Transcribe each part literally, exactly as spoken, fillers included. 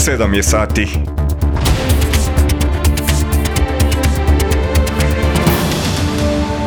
sedam je sati.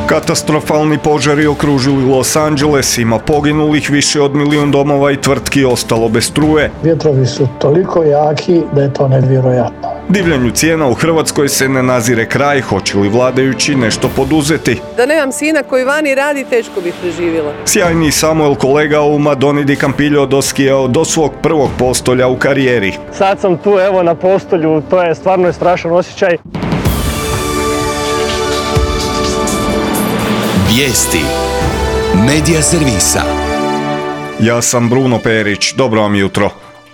Katastrofalni požari okružili Los Angeles, ima poginulih, više od milijun domova i tvrtki ostalo bez struje. Vjetrovi su toliko jaki da je to nevjerojatno. Divljanju cijena u Hrvatskoj se ne nazire kraj, hoće li vladajući nešto poduzeti? Da nemam sina koji vani radi, teško bih preživjela. Sjajni Samuel kolega u Madoni di Campillo doskijao do svog prvog postolja u karijeri. Sad sam tu evo na postolju, to je stvarno strašan osjećaj. Vijesti Medija servisa. Ja sam Bruno Perić, dobro vam jutro.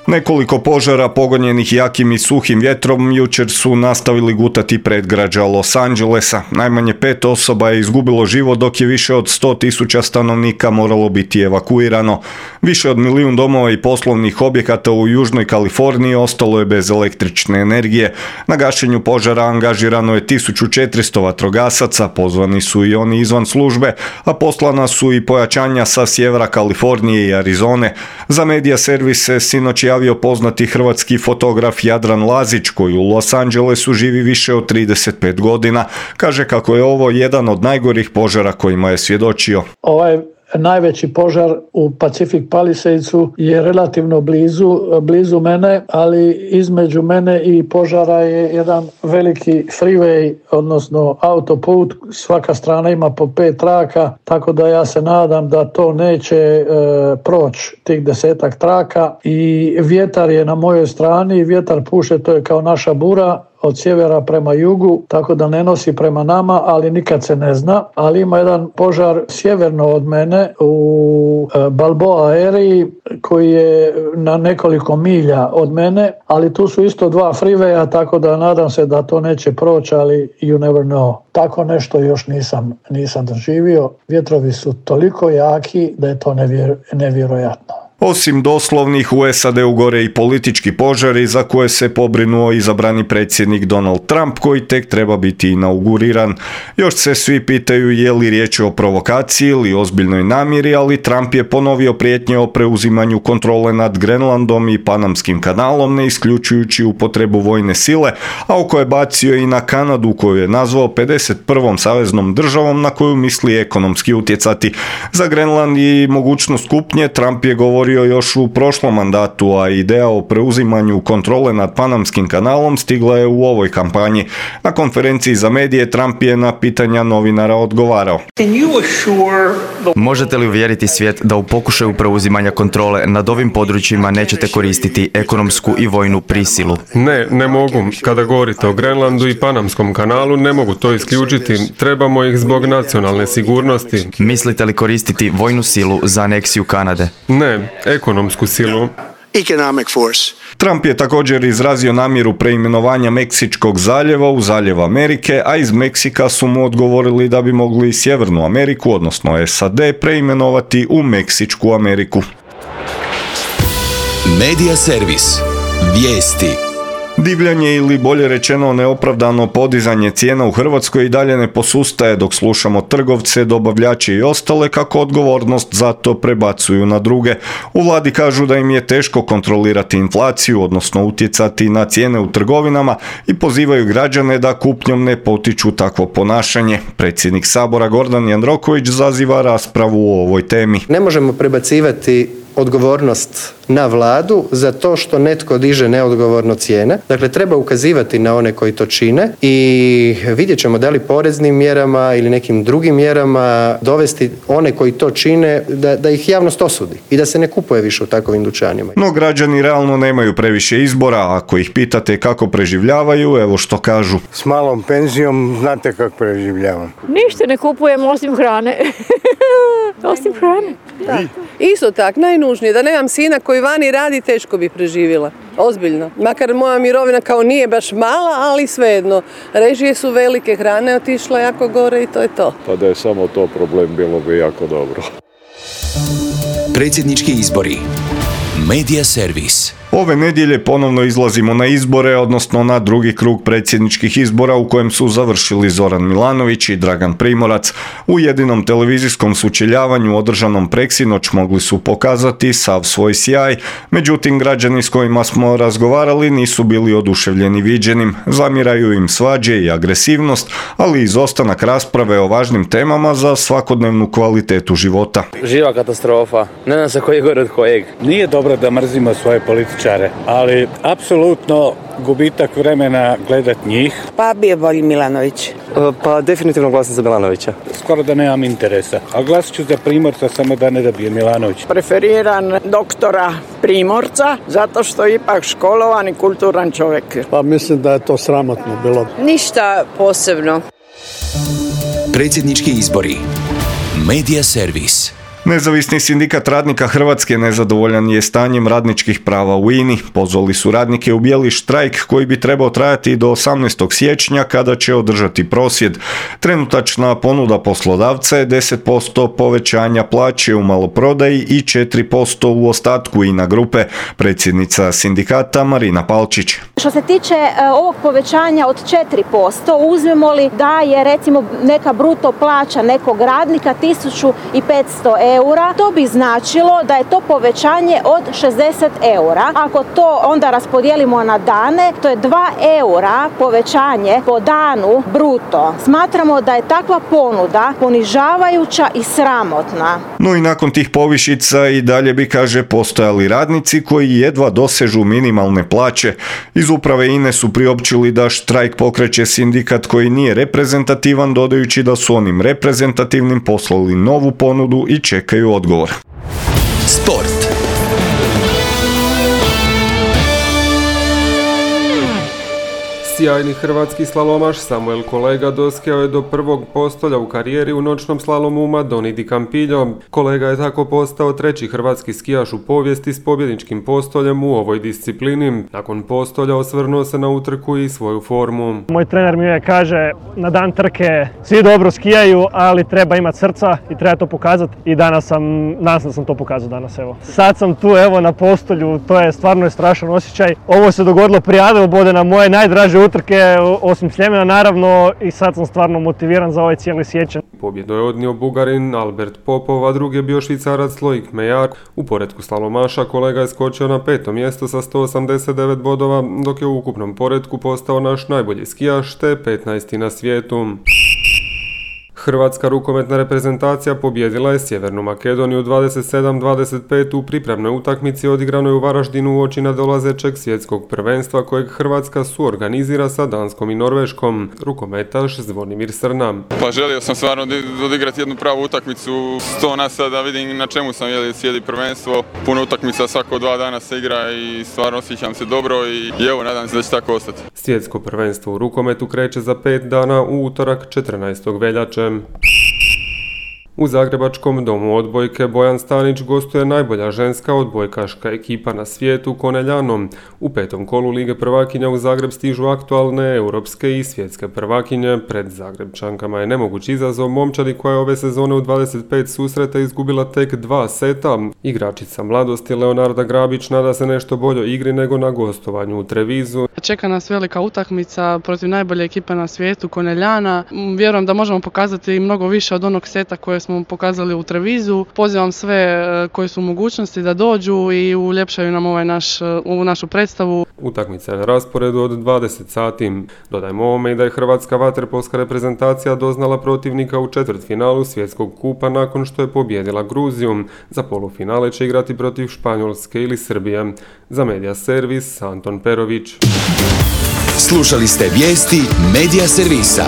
Nekoliko požara pogonjenih jakim i suhim vjetrom jučer su nastavili gutati predgrađa Los Angelesa. Najmanje pet osoba je izgubilo život, dok je više od sto tisuća stanovnika moralo biti evakuirano. Više od milijun domova i poslovnih objekata u Južnoj Kaliforniji ostalo je bez električne energije. Na gašenju požara angažirano je tisuću četiristo vatrogasaca, pozvani su i oni izvan službe, a poslana su i pojačanja sa sjevera Kalifornije i Arizone. Za medija servise sinoć javio poznati hrvatski fotograf Jadran Lazić, koji u Los Angelesu živi više od trideset pet godina. Kaže kako je ovo jedan od najgorih požara kojima je svjedočio. Ovaj najveći požar u Pacific Palisadesu je relativno blizu, blizu mene, ali između mene i požara je jedan veliki freeway, odnosno autoput. Svaka strana ima po pet traka, tako da ja se nadam da to neće e, proći tih desetak traka. I vjetar je na mojoj strani, vjetar puše, to je kao naša bura, od sjevera prema jugu, tako da ne nosi prema nama, ali nikad se ne zna. Ali ima jedan požar sjeverno od mene u Balboa Area koji je na nekoliko milja od mene, ali tu su isto dva freewaya, tako da nadam se da to neće proći, ali you never know. Tako nešto još nisam, nisam doživio. Vjetrovi su toliko jaki da je to nevjer, nevjerojatno. Osim doslovnih, u S A D-u gore i politički požari za koje se pobrinuo izabrani predsjednik Donald Trump, koji tek treba biti inauguriran. Još se svi pitaju je li riječ o provokaciji ili ozbiljnoj namjeri, ali Trump je ponovio prijetnje o preuzimanju kontrole nad Grenlandom i Panamskim kanalom, ne isključujući upotrebu vojne sile, a oko je bacio i na Kanadu, koju je nazvao pedeset prvom saveznom državom na koju misli ekonomski utjecati. Za Grenland i mogućnost kupnje Trump je govorio još u prošlom mandatu, a ideja o preuzimanju kontrole nad Panamskim kanalom stigla je u ovoj kampanji. Na konferenciji za medije Trump je na pitanja novinara odgovarao. Možete li uvjeriti svijet da u pokušaju preuzimanja kontrole nad ovim područjima nećete koristiti ekonomsku i vojnu prisilu? Ne, ne mogu. Kada govorite o Grenlandu i Panamskom kanalu, ne mogu to isključiti. Trebamo ih zbog nacionalne sigurnosti. Mislite li koristiti vojnu silu za aneksiju Kanade? Ne, ekonomsku silu. Economic force. Trump je također izrazio namjeru preimenovanja Meksičkog zaljeva u Zaljev Amerike, a iz Meksika su mu odgovorili da bi mogli Sjevernu Ameriku, odnosno S A D, preimenovati u Meksičku Ameriku. Medija servis. Vijesti. Divljanje ili bolje rečeno neopravdano podizanje cijena u Hrvatskoj i dalje ne posustaje, dok slušamo trgovce, dobavljače i ostale kako odgovornost za to prebacuju na druge. U vladi kažu da im je teško kontrolirati inflaciju, odnosno utjecati na cijene u trgovinama, i pozivaju građane da kupnjom ne potiču takvo ponašanje. Predsjednik Sabora Gordan Jandroković zaziva raspravu o ovoj temi. Ne možemo prebacivati odgovornost na vladu za to što netko diže neodgovorno cijene. Dakle, treba ukazivati na one koji to čine i vidjet ćemo da li poreznim mjerama ili nekim drugim mjerama dovesti one koji to čine da, da ih javnost osudi i da se ne kupuje više u takovim dućanima. No građani realno nemaju previše izbora. Ako ih pitate kako preživljavaju, evo što kažu. S malom penzijom znate kako preživljavam. Ništa ne kupujem osim hrane. Osim hrane. Da. Isto tak, najnužnije, da nemam sina koji vani radi, teško bi preživjela. Ozbiljno. Makar moja mirovina kao nije baš mala, ali svejedno. Režije su velike, hrane otišla jako gore i to je to. Pa da je samo to problem, bilo bi jako dobro. Predsjednički izbori. Medija servis. Ove nedjelje ponovno izlazimo na izbore, odnosno na drugi krug predsjedničkih izbora u kojem su završili Zoran Milanović i Dragan Primorac. U jedinom televizijskom sučeljavanju održanom preksinoć mogli su pokazati sav svoj sjaj, međutim građani s kojima smo razgovarali nisu bili oduševljeni viđenim. Zamiraju im svađe i agresivnost, ali i izostanak rasprave o važnim temama za svakodnevnu kvalitetu života. Živa katastrofa, ne znam se koji je gore od kojeg. Nije dobro da mrzimo svoje političare, ali apsolutno gubitak vremena gledat njih. Pa bio bolji Milanović. Pa definitivno glasam za Milanovića. Skoro da nemam interesa, a glasit ću za Primorca samo da ne dobije Milanović. Preferiram doktora Primorca zato što je ipak školovan i kulturan čovjek. Pa mislim da je to sramotno bilo. Ništa posebno. Predsjednički izbori. Medija servis. Nezavisni sindikat radnika Hrvatske nezadovoljan je stanjem radničkih prava u I N I. Pozvali su radnike u bijeli štrajk koji bi trebao trajati do osamnaestog siječnja kada će održati prosvjed. Trenutačna ponuda poslodavca je deset posto povećanja plaće u maloprodaji i četiri posto u ostatku I N A grupe. Predsjednica sindikata Marina Palčić. Što se tiče ovog povećanja od četiri posto, uzmemo li da je recimo neka bruto plaća nekog radnika tisuću petsto eura, eura, to bi značilo da je to povećanje od šezdeset eura. Ako to onda raspodijelimo na dane, to je dva eura povećanje po danu bruto. Smatramo da je takva ponuda ponižavajuća i sramotna. No i nakon tih povišica i dalje bi, kaže, postojali radnici koji jedva dosežu minimalne plaće. Iz uprave I N E su priopćili da štrajk pokreće sindikat koji nije reprezentativan, dodajući da su onim reprezentativnim poslali novu ponudu i čekaju odgovor. Sport. Sjajni hrvatski slalomaš Samuel Kolega doskeo je do prvog postolja u karijeri u noćnom slalomu u Madoni di Campillo. Kolega je tako postao treći hrvatski skijaš u povijesti s pobjedničkim postoljem u ovoj disciplini. Nakon postolja osvrnuo se na utrku i svoju formu. Moj trener mi je kaže, na dan trke svi dobro skijaju, ali treba imati srca i treba to pokazati. I danas sam, danas sam to pokazao danas, evo. Sad sam tu, evo, na postolju, to je stvarno je strašan osjećaj. Ovo se dogodilo prije Adelbodena, moje najdraže utrke, osim Sljemena naravno, i sad sam stvarno motiviran za ovaj cijeli siječanj. Pobjedu je odnio Bugarin Albert Popov, a drugi je bio Švicarac Loic Meillard. U poretku slalomaša Kolega je skočio na peto mjesto sa sto osamdeset devet bodova, dok je u ukupnom poretku postao naš najbolji skijaš te petnaesti na svijetu. Hrvatska rukometna reprezentacija pobijedila je Sjevernu Makedoniju dvadeset sedam dvadeset pet u pripremnoj utakmici odigranoj u Varaždinu uoči nadolazećeg svjetskog prvenstva kojeg Hrvatska suorganizira sa Danskom i Norveškom. Rukometaš Zvonimir Srna. Pa želio sam stvarno odigrati jednu pravu utakmicu, sto nas da vidim na čemu sam jeli sjedi prvenstvo. Puno utakmica svako dva dana se igra i stvarno osjećam se dobro i, i evo nadam se da će tako ostati. Svjetsko prvenstvo u rukometu kreće za pet dana u utorak četrnaestog veljače. U Zagrebačkom domu odbojke Bojan Stanić gostuje najbolja ženska odbojkaška ekipa na svijetu Koneljanom. U petom kolu Lige prvakinja u Zagreb stižu aktualne europske i svjetske prvakinje. Pred Zagrebčankama je nemoguć izazov momčadi koja je ove sezone u dvadeset pet susreta izgubila tek dva seta. Igračica mladosti Leonarda Grabić nada se nešto boljoj igri nego na gostovanju u Trevizu. Čeka nas velika utakmica protiv najbolje ekipe na svijetu Koneljana. Vjerujem da možemo pokazati mnogo više od onog seta koje smo pokazali u Trevizu. Pozivam sve koji su u mogućnosti da dođu i uljepšaju nam ovaj naš, ovu našu predstavu. Utakmica je na rasporedu od dvadeset sati. Dodajmo ovome i da je hrvatska vaterpolska reprezentacija doznala protivnika u četvrtfinalu svjetskog kupa nakon što je pobijedila Gruziju. Za polufinale će igrati protiv Španjolske ili Srbije. Za Medija servis Anton Perović. Slušali ste vijesti Medija servisa.